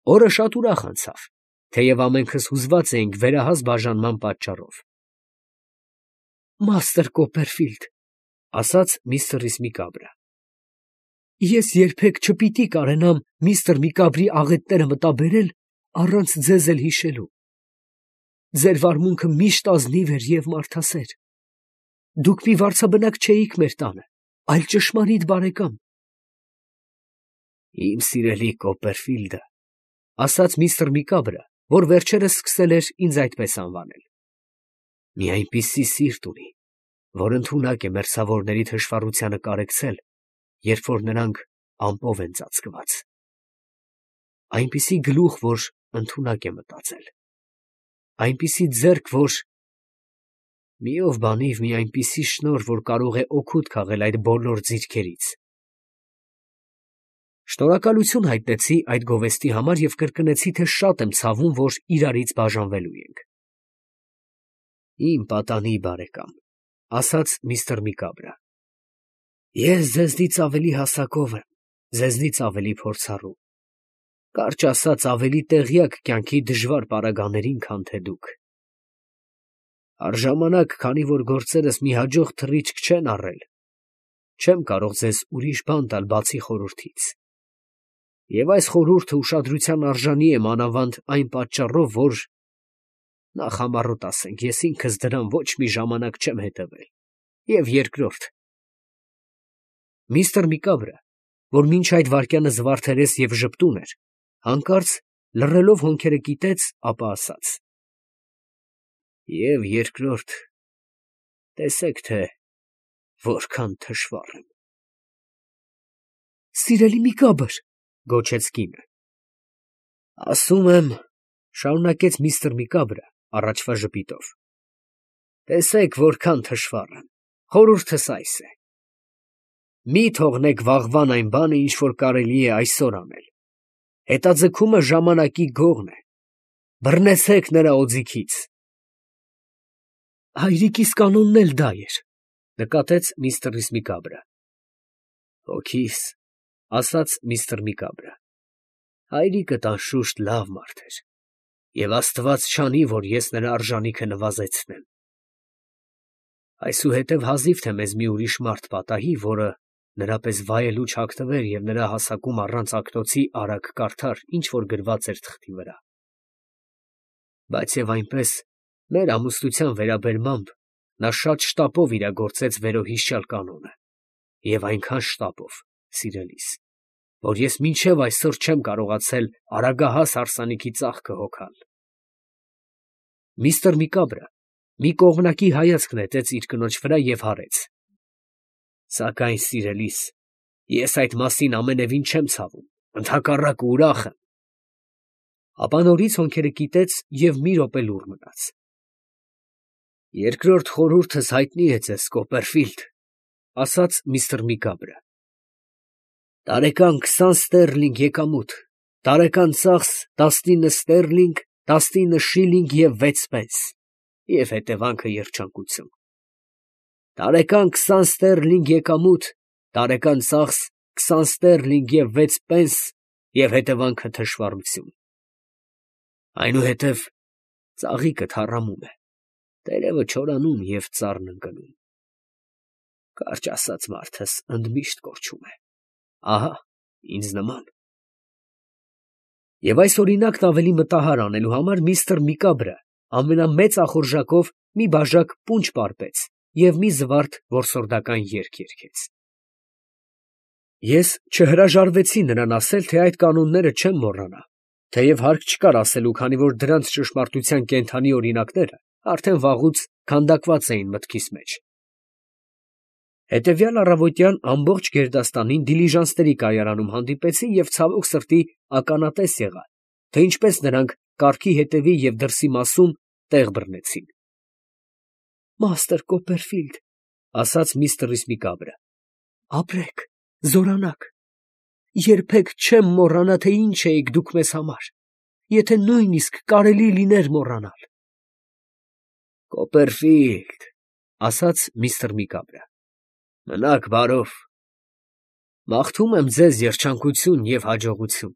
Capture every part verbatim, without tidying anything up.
Օրը շատ ուրախ անցավ, թեև ամենքս հուզված էինք վերահաս բաժանման պատճառով։ «Մաստր Կոպերֆիլդ, ֊ ասաց միստր Միկաբրը, ֊ ես երբեք չպիտի կարենամ միստր Միկաբրի աղետները մտաբերել առանց ձեզ էլ հիշելու։ Ձեր վարմունքը միշտ ազնիվ էր և մարդասեր. դուք մի վարձաբնակ չէիք մեր տանը, այլ ճշմարիտ բարեկամ»։ «Իմ սիրելի Կոպերֆիլդը, ֊ ասաց միստր Միկաբրը, որ վերջերս սկսել էր ինձ այդպես անվանել, ֊ մի այնպիսի սիրտ ունի, որ ընդունակ է մերձավորների թշվառությանը կարեկցել, երբ որ նրանք ամպով են ծածկված, այնպիսի գլուխ, որ ընդունակ է մտածել, այնպիսի ձեռք, որ… մի ով բանիվ մի այնպիսի շնոր, որ կարող է օգուտ քաղել այդ բոլոր ձիրքերից»։ Շնորհակալություն հայտնեցի այդ գովեստի համար և կրկնեցի, թե շատ եմ ցավում, որ իրարից բաժանվելու ենք։ «Իմ պատանի բարեկամ, ֊ ասաց միստր Միկաբրը, ֊ ես ձեզնից ավելի հասակով եմ, ձեզնից ավելի փորձառու, կարճ ասած, ավելի տեղյակ կյանքի դժվար պարագաներին, քան թե դուք։ Առժամանակ, քանի որ գործերս մի հաջող թռիչք չեն առել, չեմ կարող ձեզ ուրիշ բան տալ բացի խորհրդից, և այս խորհուրդը ուշադրության արժանի է մանավանդ այն պատճառով, որ… նախ համառոտ ասենք, ես ինքս դրան ոչ մի ժամանակ չեմ հետևել, և երկրորդ… Միստր Միկաբրը, որ մինչ այդ վայրկյանը զվարթերես և ժպտուն էր, հանկարծ լռելով հոնքերը կիտեց, ապա ասաց. «Եվ երկրորդ, տեսեք, թե որքան թշվառ եմ»։ «Սիրելի Միկաբր, ֊ գոչեց կինը։ ֊ Ասում եմ, ֊ շարունակեց միստր Միկաբրը առաջվա ժպիտով, ֊ տեսեք որքան թշվառ եմ, խորհուրդս այս է. մի թողնեք վաղվան այն բանը, ինչ որ կարելի է այսօր անել, հետաձգումը ժամանակի գողն է, բռնեցեք նրա օձիքից»։ «Հայրիկիս կանոնն էլ դա էր, ֊ նկատեց միստր Միկաբրը։ ֊ Հոգիս, ֊ ասաց միստր Միկաբրը, ֊ հայրիկդ անշուշտ լավ մարդ էր, և աստված չանի, որ ես նրա արժանիքը նվազեցնեմ։ Այսուհետև հազիվ թե մեզ մի ուրիշ մարդ պատահի, որը նրա պես վայելուչ հագնվեր և նրա հասակում առանց ակնոցի արագ կարդար, ինչ որ գրված էր թղթի վրա։ Բայց և այնպես, մեր ամուսնության վերաբերմամբ նա շատ շտապով իրագործեց վերոհիշյալ կանոնը, և այնքան շտապով, սիրելիս, որ ես մինչև այսօր չեմ կարողացել արագահաս հարսանիքի ծաղկը հոգալ։ Միստր Միկաբրը մի կողմնակի հայացք նետեց իր կնոջ վրա և հարեց. «Սակայն, սիրելիս, ես այդ մասին ամենևին չեմ ցավում, ընդհակառակը ուրախ եմ»։ Ապա նորից հոնքերը կիտեց և մի րոպե լուռ մնաց։ «Երկրորդ խորհուրդս հայտնի է ձեզ, Կոպերֆիլդ, ֊ ասաց միստր Միկաբրը, ֊ տարեկան քսան ստերլինգ եկամուտ, տարեկան ծախս տասնինը ստերլինգ, տասնինը շիլինգ և վեց պենս, և հետևանքը երջանկություն, տարեկան քսան ստերլինգ եկամուտ, տարեկան ծախս քսան ստերլինգ և վեց պենս, և հետևանքը թշվառություն… Այնուհետև ծաղիկը թառամում է, տերևը չորանում և ծառն ընկնում… Կարճ ասած, մարդս ընդմիշտ կորչում է… ահա ինձ նման…»։ Եվ այս օրինակն ավելի մտահար անելու համար միստր Միկաբրը ամենամեծ ախորժակով մի բաժակ պունջ պարպեց և մի զվարթ որսորդական երգ երգեց։ Ես չհրաժարվեցի նրան ասել, թե այդ կանոնները չեմ մոռանա, թեև հարկ չկար ասելու, քանի որ դրանց ճշմարտության կենդանի օրինակները արդեն վաղուց քանդակված էին մտքիս մեջ։ Հետևյալ առավոտյան ամբողջ գերդաստանին դիլիժանսների կայարանում հանդիպեցի և ցավոք սրտի ականատես եղա, թե ինչպես նրանք կառքի հետևի և դրսի մասում տեղ բռնեցին։ «Մաստր Կոպերֆիլդ, ֊ ասաց միստր Միկաբրը, ֊ ապրեք, զորանաք, երբեք չեմ մոռանա, թե ինչ էիք դուք մեզ համար, եթե նույնիսկ կարելի լիներ մոռանալ»։ «Կոպերֆիլդ, ֊ ասաց միստր Միկաբրը, ֊ մնաք բարով, մաղթում եմ ձեզ երջանկություն և հաջողություն։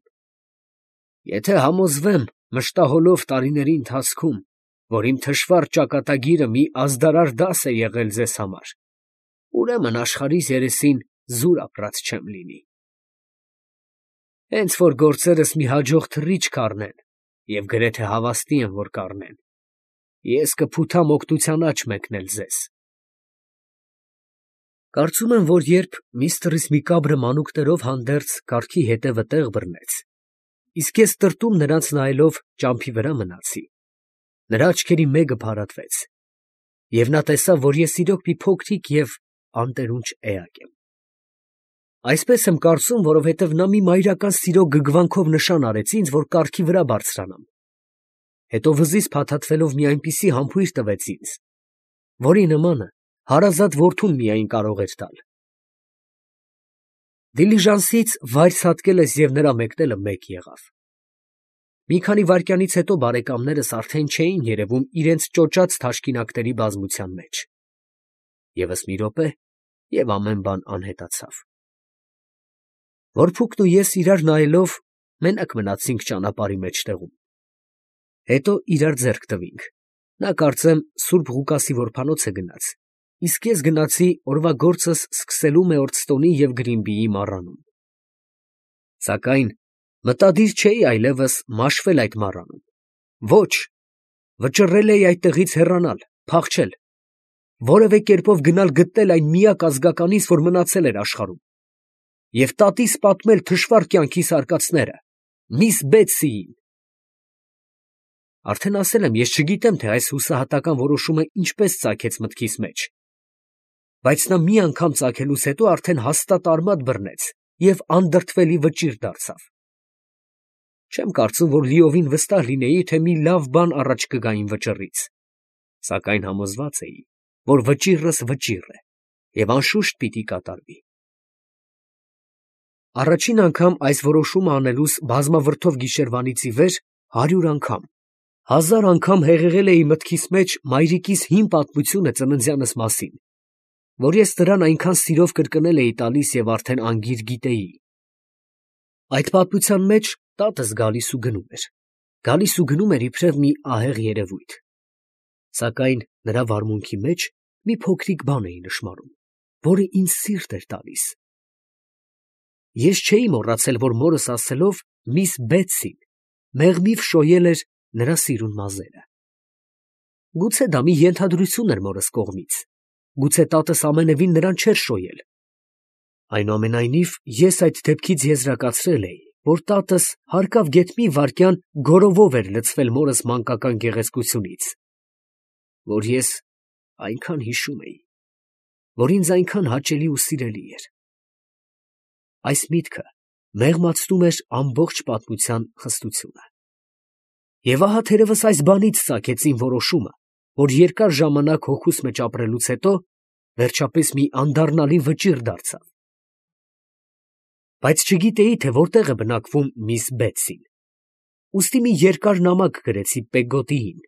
Եթե համոզվեմ մշտահոլով տարիների ընթացքում, որ իմ թշվառ ճակատագիրը մի ազդարար դաս է եղել ձեզ համար, ուրեմն աշխարհիս երեսին զուր ապրած չեմ լինի։ Հենց որ գործերս մի հաջող թռիչք առնեն, և գրեթե հավաստի եմ, որ կառնեն, ես կփութամ օգնության աջ մեկնել ձեզ։ Կարծում եմ, որ երբ միստր Միկաբրը մանուկներով հանդերձ կառքի հետևը տեղ բռնեց, իսկ ես տրտում նրանց նայելով ճամփի վրա մնացի, նրա աչքերի մեկը փարատվեց, և նա տեսավ, որ ես իրոք մի փոքրիկ և անտերունջ էակ եմ։ Այսպես եմ կարծում, որովհետև նա մի մայրական սիրո գգվանքով նշան արեց ինձ, որ կառքի վրա բարձրանամ, հետո վզից փաթաթվելով մի այնպիսի համբույր տվեց ինձ, որի նմանը հարազատ որդուն միայն կարող էր տալ։ Դիլիժանսից վայր ցատկելս և նրա մեկնելը մեկ եղավ։ Մի քանի վայրկյանից հետո բարեկամներս արդեն չէին երևում իրենց ճոճած թաշկինակների բազմության մեջ։ ԵՒս մի րոպե, և ամեն բան անհետացավ։ Որփուկն ու ես իրար նայելով մենակ մնացինք ճանապարհի մեջտեղում։ Հետո իրար ձեռք տվինք, նա կարծեմ Սուրբ Ղուկասի որբանոց է գնաց, իսկ ես գնացի օրվա գործս սկսելու Մեորդստոնի և Գրինբիի մառանում։ Սակայն մտադիր չէի այլևս մաշվել այդ մառանում, ոչ, վճռել էի այդտեղից հեռանալ, փախչել, որևէ կերպով գնալ գտնել այն միակ ազգականիս, որ մնացել էր աշխարհում, և տատիս պատմել թշվառ կյանքիս արկածները, միս Բեթսիին։ Արդեն ասել եմ, ես չգիտեմ, թե այս հուսահատական որոշումը ինչպես ծագեց մտքիս մեջ, բայց նա մի անգամ ծագելուց հետո արդեն հաստատ արմատ բռնեց և անդրդվելի վճիռ դարձավ։ Չեմ կարծում, որ լիովին վստահ լինեի, թե մի լավ բան առաջ կգա իմ վճռից, սակայն համոզված էի, որ վճիռս վճիռ է և անշուշտ պիտի կատարվի։ Առաջին անգամ այս որոշումը անելուս բազմավրդով գիշերվանից ի վեր հարյուր անգամ, հազար անգամ հեղեղել էի մտքիս մեջ մայրիկիս հին պատմությունը ծննդյանս մասին, որ ես նրան այնքան սիրով կրկնել էի տալիս և արդեն անգիր գիտեի։ Այդ պատմության մեջ տատս գալիս ու գնում էր, գալիս ու գնում էր իբրև մի ահեղ երևույթ, սակայն նրա վարմունքի մեջ մի փոքրիկ բան էի նշմարում, որը ինձ սիրտ էր տալիս։ Ես չէի մոռացել, որ մորս ասելով միս Բեթսին մեղմիվ շոյել էր նրա սիրուն մազերը։ Գուցե դա մի ենթադրություն էր մորս կողմից, գուցե տատս ամենևին նրան չէր շոյել։ Այնուամենայնիվ ես այդ դեպքից եզրակացրել էի, որ տատս հարկավ գեթ մի վայրկյան գորովով էր լցվել մորս մանկական գեղեցկությունից, որ ես այնքան հիշում էի, որ ինձ այնքան հաճելի ու սիրելի էր։ Այս միտքը մեղմացնում էր ամբողջ պատմության խստությունը։ Եվ ահա թերևս այս բանից ծագեց իմ որոշումը, որ երկար ժամանակ հոգուս մեջ ապրելուց հետո վերջապես մի անդառնալի վճիռ դարձավ։ Բայց չգիտեի, թե որտեղ է բնակվում միս Բեթսին։ Ուստի մի երկար նամակ գրեցի Պեգոտիին,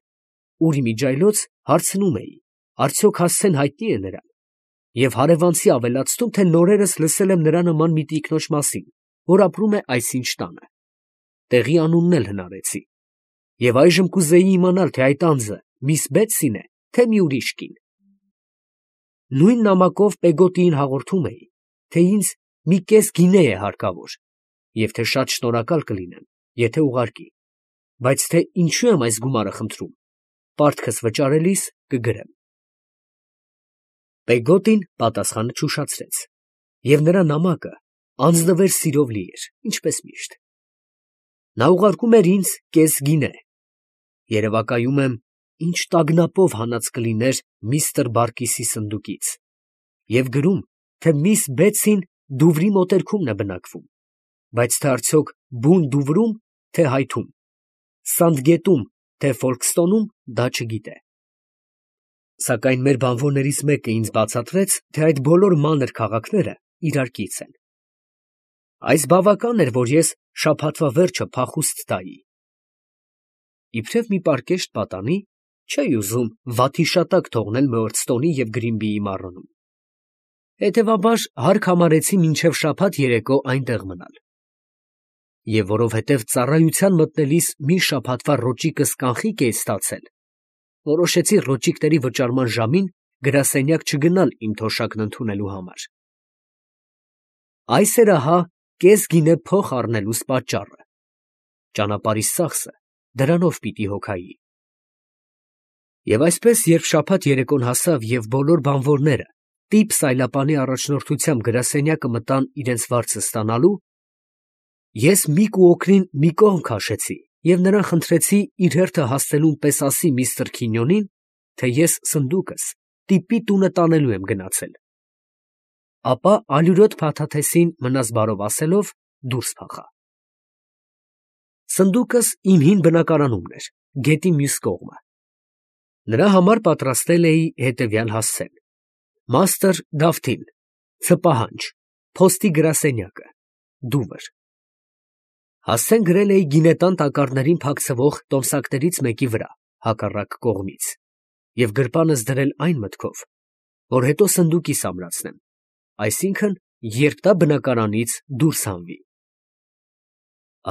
ուր իմիջիայլոց հարցնում էի, արդյոք Հասցեն հայտնի է նրան, և հարևանցի ավելացնում, թե նորերս լսել եմ նրա նման մի տիկնոջ մասին, որ ապրում է այսինչ տանը։ Տեղի անունն էլ հնարեցի, և այժմ կուզեի իմանալ, թե այդ անձը միս Բեթսին է, թե մի ուրիշ կին։ Նույն նամակով Պեգոտիին հաղորդում էի, թե ինձ մի կես գինե է հարկավոր, և թե շատ շնորհակալ կլինեմ, եթե ուղարկի, բայց թե ինչու եմ այս գումարը խնդրում, պարտքս վճարելիս կգրեմ։ Պեգոտին պատասխանը չուշացրեց, և նրա նամակը անձնվեր սիրով լի էր, ինչպես միշտ։ Նա ուղարկում էր ինձ կես գինե, երևակայում եմ, ինչ տագնապով հանած կլիներ միստր Բարկիսի սնդուկից, և գրում, թե միս Բեթսին Դուվրի մոտերքումն է բնակվում, բայց թե արդյոք բուն Դուվրում, թե Հայթում, Սանդգետում, թե Ֆոլքստոնում, դա չգիտե։ Սակայն մեր բանվորներից մեկը ինձ բացատրեց, թե այդ բոլոր մանր քաղաքները իրար կից են։ Այս բավական էր, որ ես շաբաթվա վերջը փախուստ տայի։ Իբրև մի պարկեշտ պատանի, չէի ուզում վաթի շատակ թողնել Մեորդստոնի և Գրինբիի մառանում։ Հետևաբար հարկ համարեցի մինչև շաբաթ երեկո այնտեղ մնալ։ և որովհետև ծառայության մտնելիս մի շաբաթվա ռոճիկս կանխիկ էի ստացել, որոշեցի ռոճիկների վճարման ժամին գրասենյակ չգնալ իմ թոշակն ընդունելու համար։ Այս էր ահա կես գինե փող առնելուս պատճառը։ Ճանապարհիս ծախսը դրանով պիտի հոգայի։ Եվ այսպես, երբ շաբաթ երեկոն հասավ և բոլոր բանվորները տիպ սայլապանի առաջնորդությամբ գրասենյակը մտան իրենց վարձը ստանալու, ես Միկու օգնին մի կողմ քաշեցի և նրան խնդրեցի իր հերթը հասցնելուն պես ասի միստր Քինյոնին, թե ես սնդուկս տիպի տունը տանելու եմ գնացել։ Ապա ալյուրոտ փաթաթեսին մնաս բարով ասելով դուրս փախա։ Սնդուկս իմ հին բնակարանումն էր, գետի մյուս կողմը։ Նրա համար պատրաստել էի հետևյալ հասցեն. մաստր Դավթին, ցպահանջ, փոստի գրասենյակը, դուվր։ Հասցեն գրել էի գինետան տակառներին փակցվող տոմսակներից մեկի վրա, հակառակ կողմից, և գրպանս դրել այն մտքով, որ հետո սնդուկիս ամրացնեմ, այսինքն, երբ դա բնակարանից դուրս հանվի։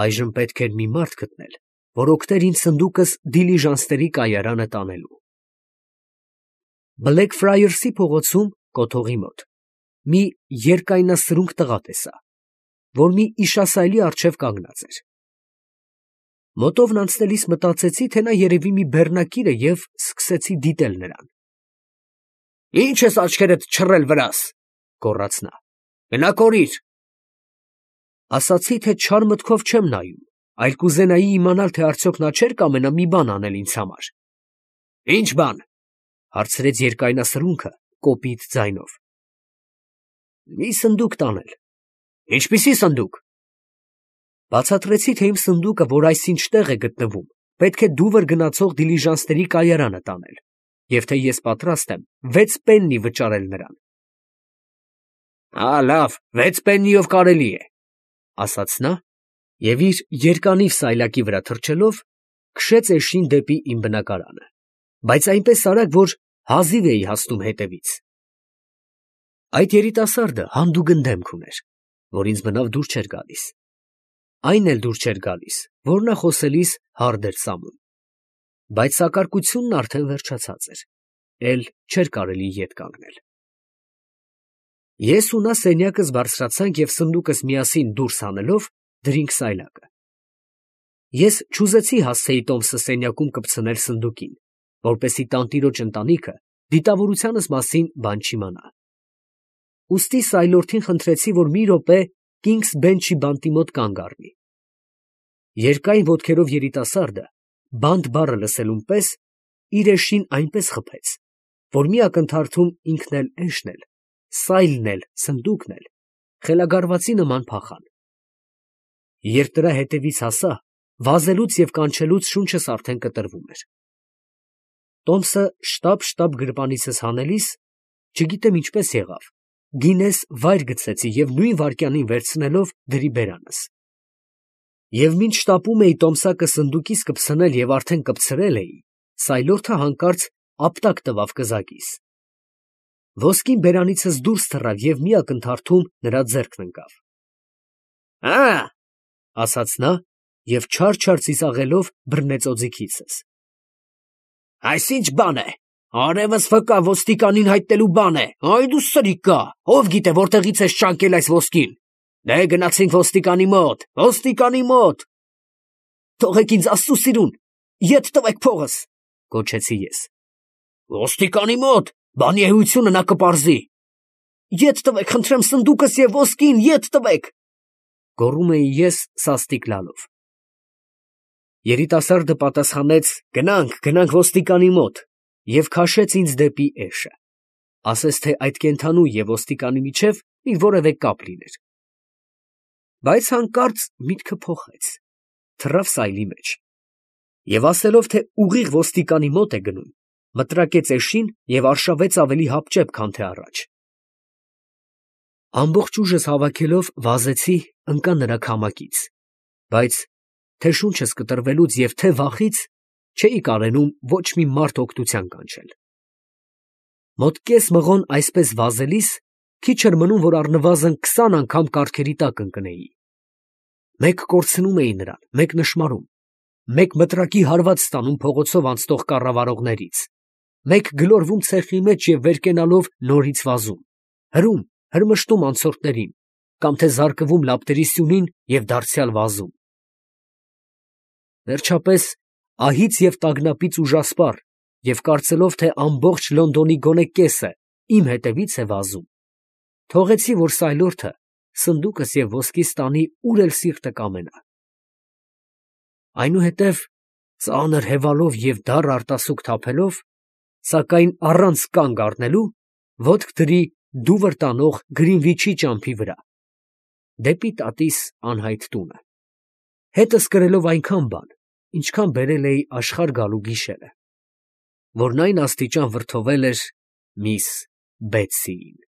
Այժմ պետք էր մի մարդ գտնել, որ օգներ ինձ սնդուկս դիլիժանսների կայարանը տանելու։ Բլեքֆրայերսի փողոցում, կոթողի մոտ, մի երկայնասրունք տղա տեսա, որ մի իշասայլի առջև կանգնած էր։ Մոտովն անցնելիս մտածեցի, թե նա երևի մի բեռնակիր է և սկսեցի դիտել նրան։ «Ի՞նչ ես աչքերդ չռել վրաս», գոռաց նա, «գնա կորիր»։ Ասացի, թե չար մտքով չեմ նայում, այլ կուզենայի իմանալ, թե արդյոք նա չէր կամենա մի բան անել ինձ համար։ «Ի՞նչ բան», հարցրեց երկայնասրունքը կոպիտ ձայնով։ «Մի սնդուկ տանել»։ «Ինչպիսի սնդուկ»։ Բացատրեցի, թե իմ սնդուկը, որ այսինչ տեղ է գտնվում, պետք է դուվր գնացող դիլիժանսների կայարանը տանել, և թե ես պատրաստ եմ վեց պեննի վճարել նրան։ «Ա, լավ, վեց պեննիով կարելի է», ասաց նա, և իր երկանիվ սայլակի վրա թռչելով, քշեց էշին դեպի իմ բնակարանը, բայց այնպես արագ, որ հազիվ էի հասնում հետևից։ Այդ երիտասարդը հանդուգն դեմք ուներ, որ ինձ բնավ դուր չէր գալիս։ Այն էլ դուր չէր գալիս, որ նա խոսելիս հարդ էր սամում, բայց սակարկությունն արդեն վերջացած էր, էլ չէր կարելի ետ կանգնել։ Ես ու նա սենյակս բարձրացանք և սնդուկս միասին դուրս հանելով դրինք սայլակը։ Ես չուզեցի հասցեի տոմսը սենյակում կպցնել սնդուկին, որպեսզի տանտիրոջ ընտանիքը դիտավորությանս մասին բան չիմանա։ Ուստի սայլորդին խնդրեցի, որ մի րոպե Կինգս Բենչի բանտի մոտ կանգ առնի։ Երկայն ոտքերով երիտասարդը, բանտ բառը լսելուն պես, իր էշին այնպես խփեց, որ մի ակնթարթում ինքն էլ էշն էլ, սայլն էլ, սնդուկն էլ խելագարվածի նման փախան։ Երբ դրա հետևից հասա, վազելուց և կանչելուց շունչս արդեն կտրվում էր։ Տոմսը շտապ֊շտապ գրպանիցս հանելիս, չգիտեմ ինչպես եղավ, գինես վայր գցեցի և նույն վայրկյանին վերցնելով դրի բերանս։ Եվ մինչ շտապում էի տոմսակը սնդուկիս կպցնել և արդեն կպցրել էի, սայլորդը հանկարծ ապտակ տվավ կզակիս։ Ոսկին բերանիցս դուրս թռավ և մի ակնթարթում նրա ձեռքն ընկավ։ «Ա՜», ասաց նա և չար֊չար ծիծաղելով բռնեց օձիքիցս։ «Այս ի՞նչ բան է, արևս վկա, ոստիկանին հայտնելու բան է, այ դու սրիկա, ով գիտե որտեղից ես ճանկել այս ոսկին, դե գնացինք ոստիկանի մոտ, ոստիկանի մոտ»։ «Թողեք ինձ աստծու սիրուն, ետ տվեք փողս», գոչեցի ես։ «Ոստիկանի մոտ, բանի էությունը նա կպարզի»։ «Ետ տվեք, խնդրեմ, սնդուկս և ոսկին, ետ տվեք», գոռում էի ես սաստիկ լալով։ Երիտասարդը պատասխանեց. «Գնանք, գնանք ոստիկանի մոտ» և քաշեց ինձ դեպի էշը, ասես թե այդ կենդանու և ոստիկանի միջև մի որևէ կապ լիներ։ Բայց հանկարծ միտքը փոխեց, թռավ սայլի մեջ, և ասելով, թե ուղիղ ոստիկանի մոտ է գնում, մտրակեց էշին և արշավեց ավելի հապճեպ, քան թե առաջ։ Ամբողջ ուժս հավաքելով վազեցի, ընկա նրա քամակից, բայց թե շունչս կտրվելուց և թե վախից չէի կարենում ոչ մի մարդ օգնության կանչել։ Մոտ կես մղոն այսպես վազելիս քիչ էր մնում, որ առնվազն քսան անգամ կառքերի տակ ընկնեի։ Մեկ կորցնում էին նրան, մեկ նշմարում, մեկ մտրակի հարված ստանում փողոցով անցնող կառավարողներից, մեկ գլորվում ցեխի մեջ և վեր կենալով նորից վազում, հրում, հրմշտում անցորդներին, կամ թե զարկվում լապտերի սյունին և դարձյալ վազում։ Վերջապես, ահից և տագնապից ուժասպառ և կարծելով, թե ամբողջ Լոնդոնի գոնե կեսը իմ հետևից է վազում, թողեցի, որ սայլորթը սնդուկս և ոսկիս տանի, ուր էլ սիրտը կամենա։ Այնուհետև, ծանր հևալով և դառը արտասուք թափելով, սակայն առանց կանգ առնելու, ոտք դրի դուվր տանող Գրինվիչի ճամփի վրա, դեպի տատիս անհայտ տունը, հետս կրելով այնքան բան, ինչքան բերել էի աշխարհ գալու գիշերը, որն այն աստիճան վրդովել էր միս Բեթսիին։